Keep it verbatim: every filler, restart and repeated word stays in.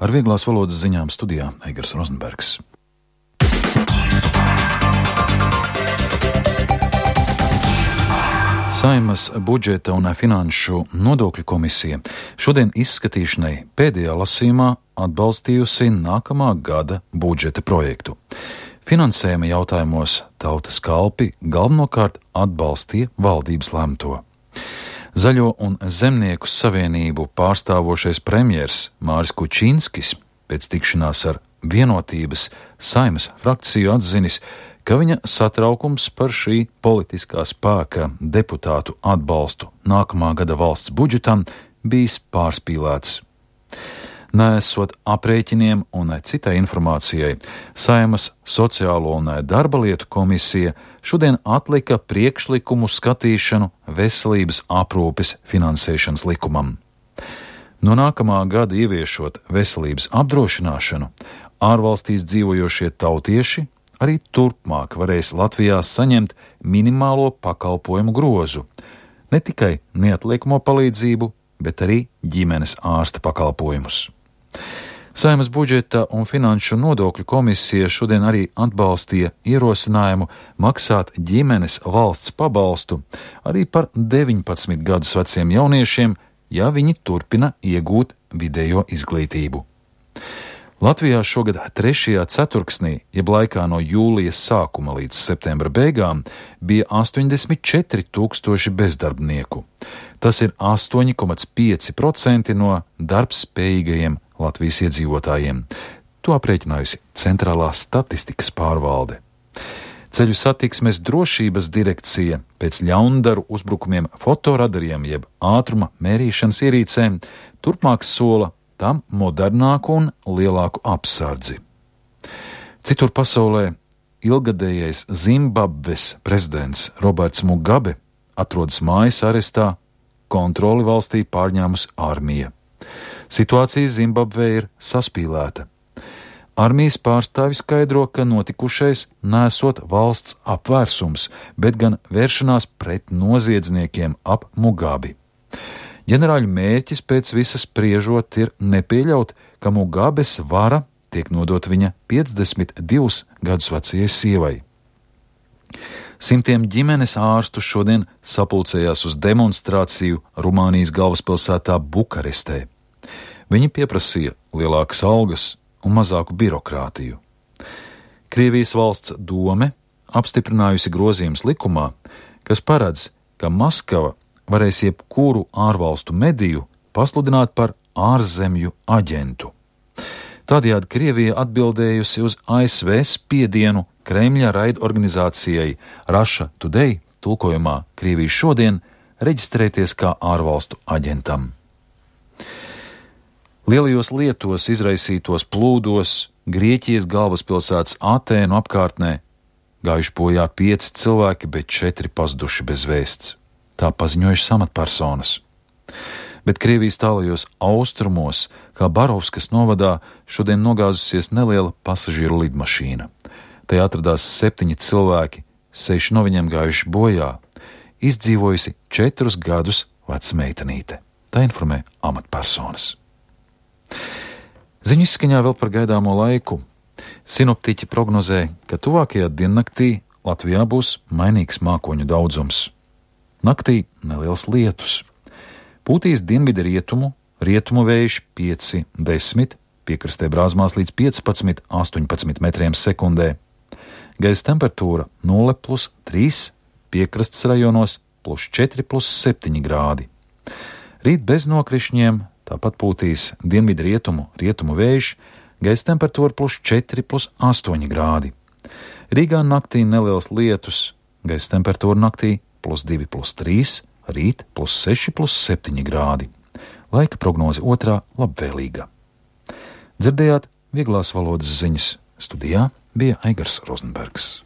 Ar vieglās valodas ziņām studijā Eigars Rozenbergs. Saeimas budžeta un finanšu nodokļu komisija šodien izskatīšanai pēdējā lasījumā atbalstījusi nākamā gada budžeta projektu. Finansējuma jautājumos Tautas kalpi galvenokārt atbalstīja valdības lemto. Zaļo un Zemnieku savienību pārstāvošais premjers Māris Kučinskis pēc tikšanās ar Vienotības Saeimas frakciju atzinis, ka viņa satraukums par šī politiskā spēka deputātu atbalstu nākamā gada valsts budžetam bijis pārspīlēts. Neesot aprēķiniem un citai informācijai, Saeimas sociālo un darba lietu komisija šodien atlika priekšlikumu skatīšanu veselības aprūpes finansēšanas likumam. No nākamā gada ieviešot veselības apdrošināšanu, ārvalstīs dzīvojošie tautieši arī turpmāk varēs Latvijā saņemt minimālo pakalpojumu grozu, ne tikai neatliekamo palīdzību, bet arī ģimenes ārsta pakalpojumus. Saeimas budžeta un finanšu nodokļu komisija šodien arī atbalstīja ierosinājumu maksāt ģimenes valsts pabalstu arī par deviņpadsmit gadus veciem jauniešiem, ja viņi turpina iegūt vidējo izglītību. Latvijā šogad trešajā ceturksnī, jeb laikā no jūlijas sākuma līdz septembra beigām, bija astoņdesmit četri tūkstoši bezdarbnieku. Tas ir astoņi komats pieci procenti no darbspējīgajiem Latvijas iedzīvotājiem. To aprēķinājusi Centrālā statistikas pārvalde. Ceļu satiksmes drošības direkcija pēc ļaundaru uzbrukumiem fotoradariem jeb ātruma mērīšanas ierīcēm turpmāk sola tam modernāku un lielāku apsardzi. Citur pasaulē ilgadējais Zimbabves prezidents Roberts Mugabe atrodas mājas arestā, kontroli valstī pārņēmusi armija. Situācija Zimbabvē ir saspīlēta. Armijas pārstāvi skaidro, ka notikušais nesot valsts apvērsums, bet gan vēršanās pret noziedzniekiem ap Mugabi. Ģenerāļu mērķis pēc visas spriežot ir nepieļaut, ka Mugabes vara tiek nodot viņa piecdesmit divus gadus vecajai sievai. Simtiem ģimenes ārstu šodien sapulcējās uz demonstrāciju Rumānijas galvaspilsētā Bukarestē. Viņi pieprasīja lielākas algas un mazāku birokrātiju. Krievijas valsts dome apstiprinājusi grozījumus likumā, kas paredz, ka Maskava varēs jebkuru ārvalstu mediju pasludināt par ārzemju aģentu. Tādējādi Krievija atbildējusi uz A S V spiedienu Kremļa raidorganizācijai Russia Today, tulkojumā Krievija šodien, reģistrēties kā ārvalstu aģentam. Lielajos lietos izraisītos plūdos Grieķijas galvaspilsētas Atēnu apkārtnē gājuši bojā pieci cilvēki, bet četri pazuduši bez vēsts. Tā paziņojušas amatpersonas. Bet Krievijas tālajos austrumos, kā Barovskas novadā, šodien nogāzusies neliela pasažieru lidmašīna. Tajā atradās septiņi cilvēki, seši no viņiem gājuši bojā, izdzīvojusi četrus gadus veca meitenīte. Tā informē amatpersonas. Ziņu izskaņā vēl par gaidāmo laiku. Sinoptiķi prognozē, ka tuvākajā diennaktī Latvijā būs mainīgs mākoņu daudzums. Naktī neliels lietus. Pūtīs dienvidu rietumu, rietumu vējš pieci desmit, piekrastē brāzmās līdz piecpadsmit astoņpadsmit metriem sekundē. Gaisa temperatūra nulle plus trīs, piekrastes rajonos plus četri plus septiņi grādi. Rīt bez nokrišņiem, tāpat pūtīs dienvidu rietumu, rietumu vējš, gaisa temperatūra plus četri plus astoņi grādi. Rīgā naktī neliels lietus, gaisa temperatūra naktī plus divi plus trīs, rīt plus seši plus septiņi grādi. Laika prognoze otrā labvēlīga. Dzirdējāt vieglās valodas ziņas. Studijā bija Eigars Rozenbergs.